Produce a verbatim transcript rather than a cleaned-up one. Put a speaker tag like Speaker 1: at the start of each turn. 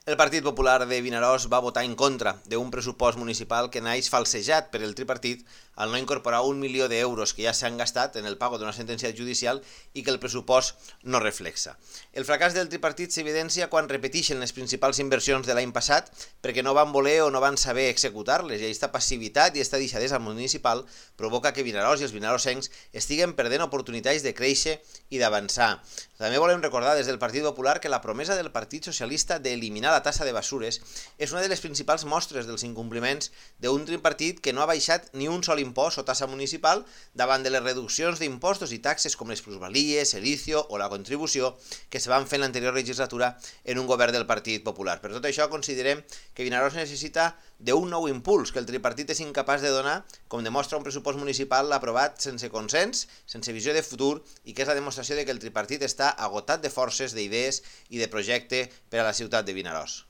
Speaker 1: El Partit Popular de Vinaròs va votar en contra d'un pressupost municipal que naix falsejat per el tripartit al no incorporar un milió d'euros que ja s'han gastat en el pago d'una sentència judicial i que el pressupost no reflexa. El fracàs del tripartit s'evidencia quan repeteixen les principals inversions de l'any passat perquè no van voler o no van saber executar-les, i aquesta passivitat i aquesta deixadesa municipal provoca que Vinaròs i els vinarossencs estiguen perdent oportunitats de créixer i d'avançar. També volem recordar des del Partit Popular que la promesa del Partit Socialista d'eliminar la tassa de basures és una de les principals mostres dels incompliments d'un tripartit que no ha baixat ni un sol impost o tassa municipal davant de les reduccions d'impostos i taxes com les plusvalies, el ICIO o la contribució que se van fer en l'anterior legislatura en un govern del Partit Popular. Per tot això considerem que Vinaròs necessita d'un nou impuls que el tripartit és incapaç de donar, com demostra un pressupost municipal aprovat sense consens, sense visió de futur, i que és la demostració de que el tripartit està agotat de forces, d'idees i de projecte per a la ciutat de Vinaròs.